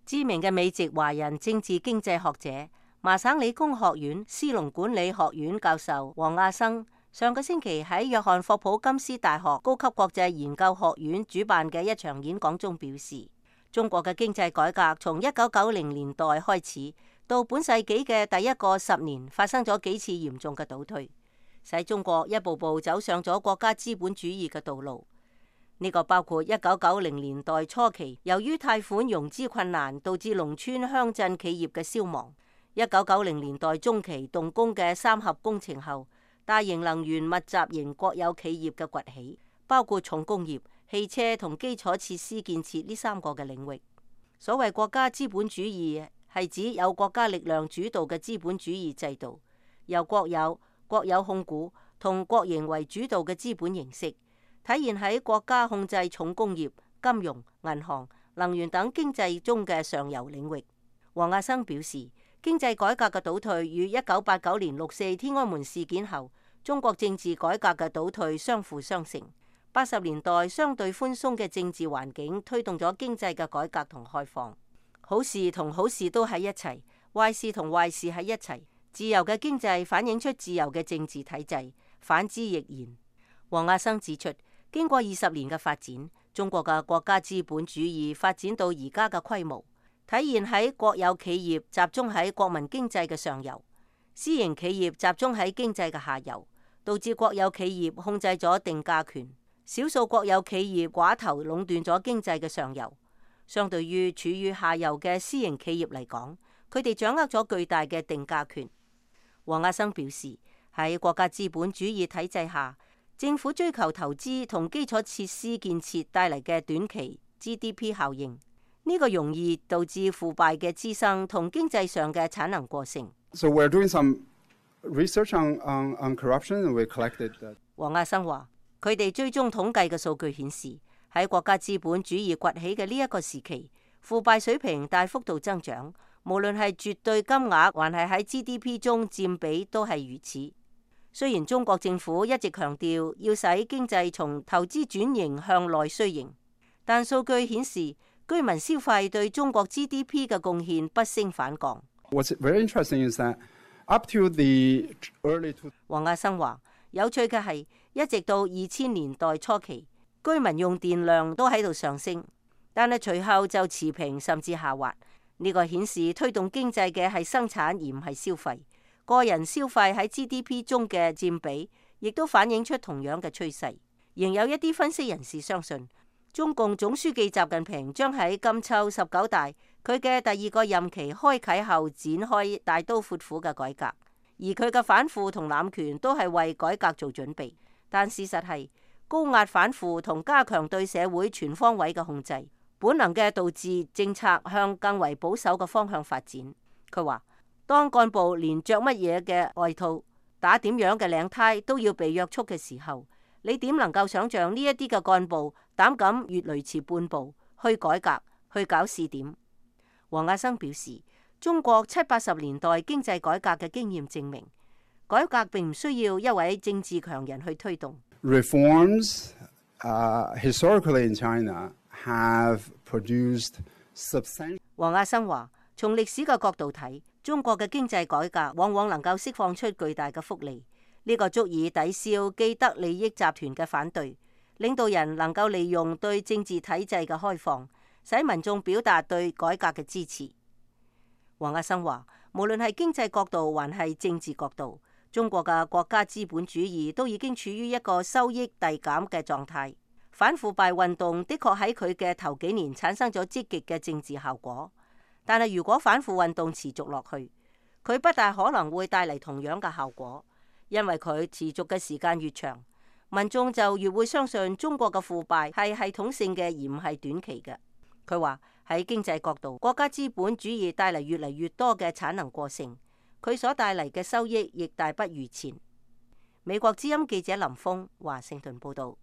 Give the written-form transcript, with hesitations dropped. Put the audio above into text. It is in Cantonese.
知名嘅美籍華人政治經濟學者、麻省理工學院斯隆管理學院教授王亞生上個星期喺約翰霍普金斯大學高級國際研究學院主辦嘅一場演講中表示，中國嘅經濟改革從1990年代開始到本世紀嘅第一個10年發生咗幾次嚴重嘅倒退，使中國一步步走上咗國家資本主義嘅道路。呢個包括1990年代初期由於貸款融資困難導致農村鄉鎮企業嘅消亡，1990年代中期動工嘅三峽工程後，大型能源密集型國有企業嘅崛起，包括重工業、汽車同基礎設施建設呢3個嘅領域。所謂國家資本主義係指有國家力量主導嘅資本主義制度，由國有、國有控股同國營為主導嘅資本形式，體現喺國家控制重工業、金融、銀行、能源等經濟中嘅上游領域。王亞生表示，經濟改革嘅倒退與1989年6.4天安門事件後中國政治改革嘅倒退相輔相成。80年代相對寬鬆嘅政治環境推動咗經濟嘅改革同開放，好事同好事都喺一齊，壞事同壞事喺一齊。自由嘅經濟反映出自由嘅政治體制，反之亦然。王亞生指出，經過20年嘅發展，中國嘅國家資本主義發展到而家嘅規模，體現喺國有企業集中喺國民經濟嘅上游，私營企業集中喺經濟嘅下游，導致國有企業控制咗定價權，少數國有企業寡頭壟斷咗經濟嘅上游。相對於處於下游嘅私營企業嚟講，佢哋掌握咗巨大嘅定價權。王亞生表示，喺國家資本主義體制下，政府追求投資同基礎設施建設帶嚟嘅短期 GDP 效應，呢個容易導致腐敗嘅滋生同經濟上嘅產能過剩。So we're doing some research on corruption and we collected that. 王亞生話，佢哋追蹤統計嘅數據顯示，喺國家資本主義崛起嘅呢一個時期，腐敗水平大幅度增長，無論係絕對金額還係喺 GDP 中佔比都係如此。雖然中國政府一直強調要使經濟從投資轉型向內需型，但數據顯示居民消費對中國 GDP 嘅貢獻不升反降。What's very interesting is that up to the early two... 王亞生話，有趣嘅係，一直到2000年代初期，居民用電量都喺度上升，但係隨後就持平甚至下滑。呢個顯示推動經濟嘅係生產而唔係消費。個人消費喺 GDP 中嘅佔比，亦都反映出同樣嘅趨勢。仍有一啲分析人士相信，中共總書記習近平將喺今秋19大佢嘅第2個任期開啟後展開大刀闊斧嘅改革，而佢嘅反腐同濫權都係為改革做準備。但事實係，高壓反腐同加強對社會全方位嘅控制，本能嘅導致政策向更為保守嘅方向發展。佢話，當幹部連着乜嘢嘅外套、打點樣嘅領呔都要被約束嘅時候，你點能夠想象呢一啲嘅幹部膽敢越雷池半步去改革、去搞試點？王亞生表示，中國70、80年代經濟改革嘅經驗證明，改革並唔需要一位政治強人去推動。Reforms, historically in China have produced substantial... 王亞生話，從歷史嘅角度睇，中國嘅經濟改革往往能夠釋放出巨大嘅福利，呢個足以抵消既得利益集團嘅反對。領導人能夠利用對政治體制嘅開放，使民眾表達對改革嘅支持。王亞生話，無論係經濟角度還係政治角度，中國嘅國家資本主義都已經處於一個收益遞減嘅狀態。反腐敗運動的確喺佢嘅頭幾年產生咗積極嘅政治效果。但係如果反腐運動持續落去，佢不大可能會帶嚟同樣嘅效果，因為佢持續嘅時間越長，民眾就越會相信中國嘅腐敗係系統性嘅而唔係短期嘅。佢話喺經濟角度，國家資本主義帶嚟越嚟越多嘅產能過剩，佢所帶嚟嘅收益亦大不如前。美國之音記者林峰華盛頓報道。